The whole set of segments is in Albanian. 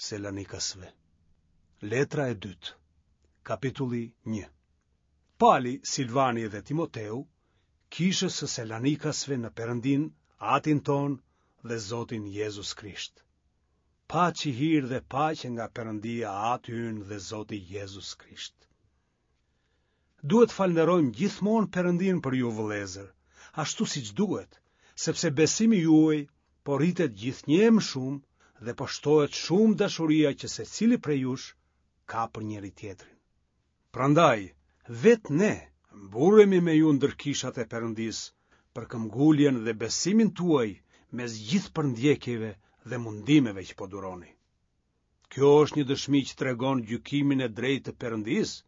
Selanikasve. Letra e dytë, kapitulli 1. Pali, Silvani dhe Timoteu, kishës së Selanikasve në Perëndinë, Atin tonë dhe Zotin Jezus Krisht. Paçi hir dhe paqe nga Perëndia Ati ynë dhe Zoti Jezus Krisht. Duhet të falënderojmë gjithmonë Perëndinë për ju vëllezër, ashtu siç duhet, sepse besimi juaj po rritet gjithnjë e më shumë dhe po shtohet shumë dashuria që secili prej jush ka për njëri-tjetrin. Prandaj, vetë ne mburremi me ju ndër kishat e Perëndisë për këmbguljen dhe besimin tuaj mes gjithë përndjekjeve dhe mundimeve që po duroni. Kjo është një dëshmi që tregon gjykimin e drejtë të Perëndisë,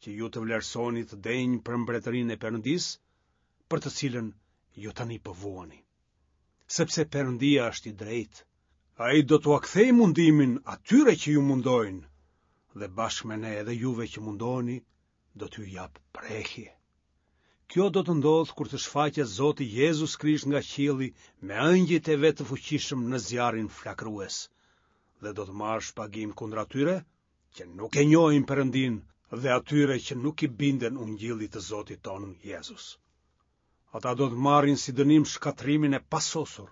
që ju të vlerësoheni të denjë për mbretërinë e Perëndisë, për të cilën ju tani po vuani. Sepse Perëndia është i drejtë, ai do t'ua kthejë mundimin atyre që ju mundojnë, dhe bashkë me ne edhe juve që mundoheni, do t'ju japë prehje. Kjo do të ndodhë kur të shfaqet Zoti Jezus Krisht nga qielli me ëngjëjt e vet të fuqishëm në zjarrin flakërues dhe do të marrë shpagim kundër atyre që nuk e njohin Perëndinë dhe atyre që nuk i binden ungjillit të Zotit tonë Jezus. Ata do të marrin si dënim shkatërrimin e pasosur,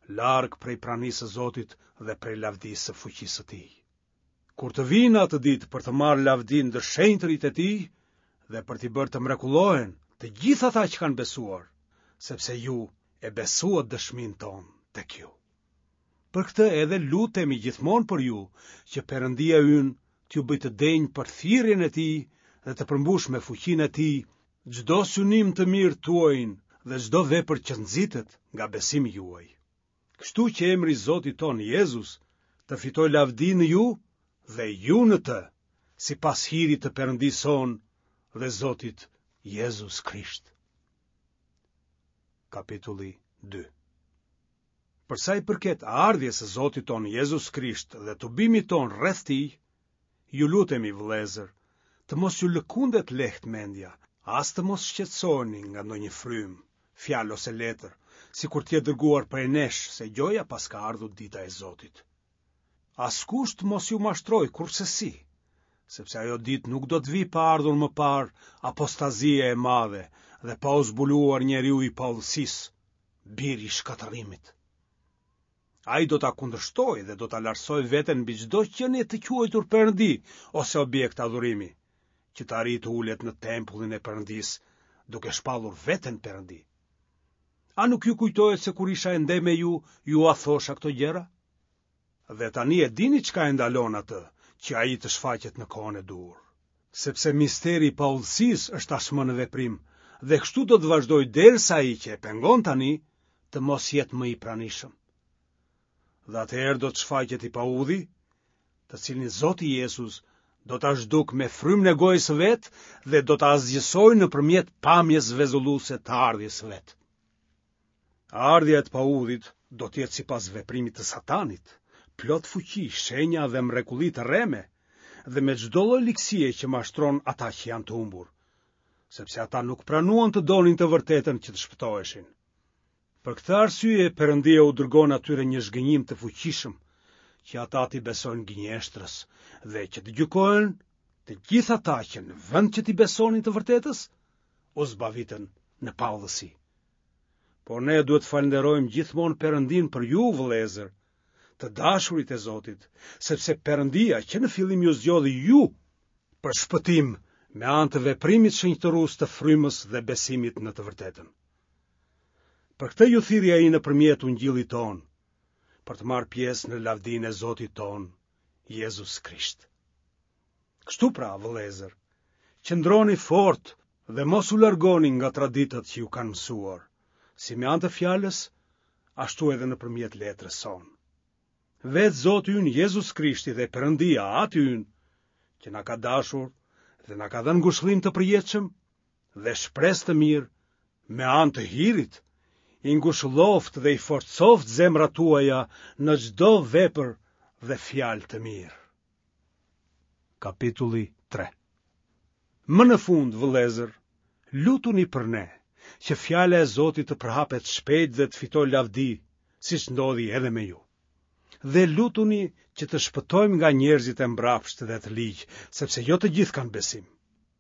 larg prej pranisë së Zotit dhe prej lavdisë së fuqisë së tij. Kur të vijë në atë ditë për të marrë lavdi ndër shenjtërit e tij dhe për t'i bërë të mrekullohen të gjithë ata që kanë besuar, sepse ju e besuat dëshminë tonë tek ju. Për këtë edhe lutemi gjithmonë për ju, që Perëndia ynë t'ju bëjë të denjë për thirrjen e tij dhe të përmbushë me fuqinë e tij çdo synim të mirë tuajin dhe çdo vepër që nxitet nga besimi juaj. Kështu që emri i Zotit tonë Jezus të fitojë lavdi në ju dhe ju në të, sipas hirit të Perëndisë sonë dhe Zotit Jezus Krisht. Kapitulli 2 Për sa i përket ardhjes së Zotit tonë Jezus Krisht dhe tubimit tonë rreth tij, ju lutemi vëllezër, të mos ju lëkundet lehtë mendja, as të mos shqetësoheni nga ndonjë frymë, fjalë ose letër, sikur të jetë dërguar prej nesh se gjoja paska ardhur dita e Zotit. Askush të mos ju mashtrojë kurrsesi, sepse ajo ditë nuk do të vijë pa ardhur më parë apostazia e madhe dhe pa u zbuluar njeriu i paudhësisë, biri i shkatërrimit. Ai do ta kundërshtojë dhe do ta lartësojë veten mbi çdo qenie të quajtur perëndi ose objekt adhurimi, që të arrijë të ulet në tempullin e Perëndisë, duke shpallur veten perëndi. A nuk ju kujtohet se kur isha ende me ju, jua thosha këto gjëra? Dhe tani e dini çka e ndalon atë, që ai të shfaqet në kohën e duhur. Sepse misteri i paudhësisë është tashmë në veprim, dhe kështu do të vazhdojë derisa ai që e pengon tani, të mos jetë më i pranishëm. Dhe atëherë do të shfaqet i paudhi, të cilin Zoti Jezus do ta zhdukë me frymën e gojës së vet dhe do ta asgjësojë nëpërmjet pamjes vezulluese të ardhjes së vet. Ardhja e të paudhit do të jetë sipas veprimit të Satanit, plot fuqi, shenja dhe mrekulli të rreme, dhe me çdo lloj ligësie që mashtron ata që janë të humbur, sepse ata nuk pranuan të donin të vërtetën që të shpëtoheshin. Për këtë arsye Perëndia u dërgon atyre një zhgënjim të fuqishëm, që ata t'i besojnë gënjeshtrës dhe që të gjykohen të gjithë ata që në vend që t'i besonin të vërtetës, u zbavitën në paudhësi. Por ne duhet të falënderojmë gjithmonë Perëndinë për ju, vëllezër, të dashurit e Zotit, sepse Perëndia që në fillim ju zgjodhi ju për shpëtim me anë të veprimit shenjtërues të frymës dhe besimit në të vërtetën. Për këtë ju thirri ai nëpërmjet ungjillit tonë, për të marrë pjesë në lavdinë e Zotit tonë, Jezus Krisht. Kështu pra, vëllezër, qëndroni fort dhe mos u largoni nga traditat që ju kanë mësuar, si me anë të fjalës, ashtu edhe nëpërmjet letrës sonë. Vetë Zoti ynë Jezus Krishti dhe Perëndia, Ati ynë, që na ka dashur dhe na ka dhënë ngushëllim të përjetshëm, dhe shpresë të mirë me anë të hirit, i ngushëlloftë dhe i forcoftë zemrat tuaja në çdo vepër dhe fjalë të mirë. Kapitulli 3 Më në fund, vëllezër, lutuni për ne, që fjala e Zotit të përhapet shpejt dhe të fitojë lavdi, siç ndodhi edhe me ju. Dhe lutuni që të shpëtojmë nga njerëzit e mbrapshtë dhe të ligj, sepse jo të gjithë kanë besim.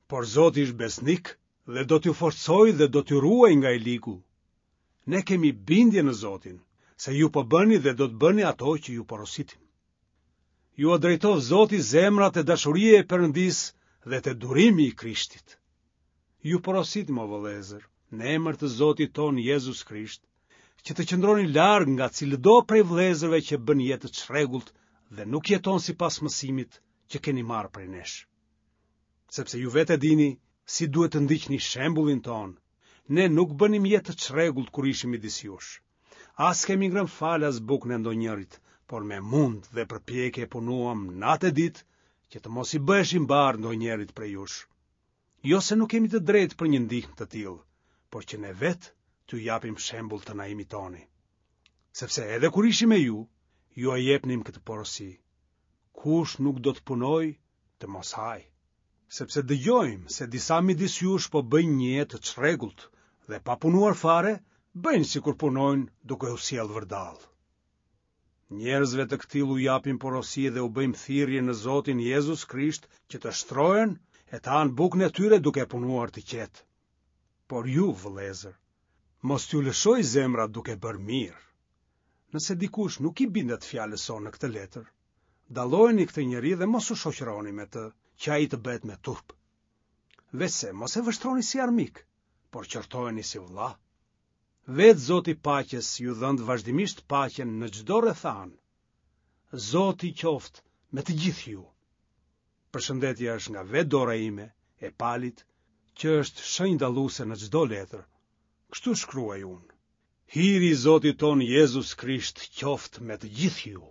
Por Zoti është besnik dhe do t'ju forcojë dhe do t'ju ruajë nga i ligu. Ne kemi bindje në Zotin, se ju po bëni dhe do të bëni ato që ju porositim. Jua drejtoftë Zoti zemrat te dashuria e Perëndisë dhe te durimi i Krishtit. Ju porositim o vëllezër, në emër të Zotit tonë Jezus Krisht, që të qëndroni larg nga cilido prej vëllezërve që bën jetë të çrregullt dhe nuk jeton sipas mësimit që keni marrë prej nesh. Sepse ju vetë e dini si duhet të ndiqni shembullin tonë. Ne nuk bënim jetë të çrregullt kur ishim midis jush. As kemi ngrënë falas bukën e ndonjërit, por me mund dhe përpjekje punuam natë e ditë që të mos i bëheshim barrë ndonjërit prej jush. Jo se nuk kemi të drejtë për një ndihmë të tillë, por që ne vetë t'ju japim shembull të na imitoni. Sepse edhe kur ishim me ju, jua jepnim këtë porosi. Kush nuk do të punojë, të mos hajë. Sepse dëgjojmë se disa midis jush po bëjnë një jetë të çrregullt dhe pa punuar fare, bëjnë sikur punojnë duke u sjellë vërdallë. Njerëzve të këtillë u japim porosi dhe u bëjmë thirrje në Zotin Jezus Krisht që të shtrohen e të hanë bukën e tyre duke punuar të qetë. Por ju, vëllezër, mos t'ju lëshojë zemra duke bërë mirë. Nëse dikush nuk i bindet fjalës sonë në këtë letër, dallojeni këtë njeri dhe mos u shoqëroni me të, që ai të bëhet me turp. Veçse mos e vështroni si armik, por qortojeni si vëlla. Vetë Zoti i paqes ju dhëntë vazhdimisht paqen në çdo rrethanë. Zoti qoftë me të gjithë ju. Përshëndetja është nga vetë dora ime, e Palit, që është shenjë dalluese në çdo letër. Kështu shkruaj unë. Hiri i Zotit tonë Jezus Krisht qoftë me të gjithë ju.